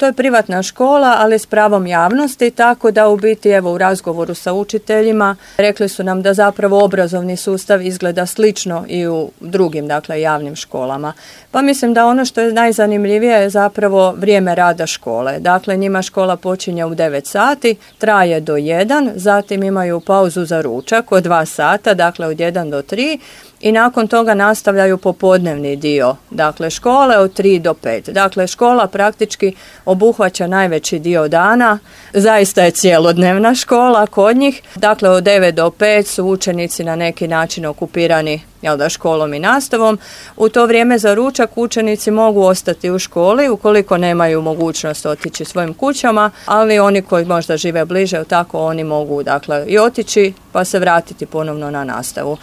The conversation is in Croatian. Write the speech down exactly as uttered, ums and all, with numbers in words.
to je privatna škola, ali s pravom javnosti, tako da u biti evo u razgovoru sa učiteljima rekli su nam da zapravo obrazovni sustav izgleda slično i u drugim, dakle, javnim školama. Pa mislim da ono što je najzanimljivije je zapravo vrijeme rada škole. Dakle, njima škola počinje u devet sati, traje do jedan, zatim imaju pauzu za ručak od dva sata, dakle od jedan do tri, i nakon toga nastavljaju popodnevni dio, dakle škole od tri do pet. Dakle, škola praktički obuhvaća najveći dio dana, zaista je cijelodnevna škola kod njih. Dakle, od devet do pet su učenici na neki način okupirani, jel da, školom i nastavom. U to vrijeme za ručak učenici mogu ostati u školi ukoliko nemaju mogućnost otići svojim kućama, ali oni koji možda žive bliže, tako oni mogu, dakle, i otići pa se vratiti ponovno na nastavu.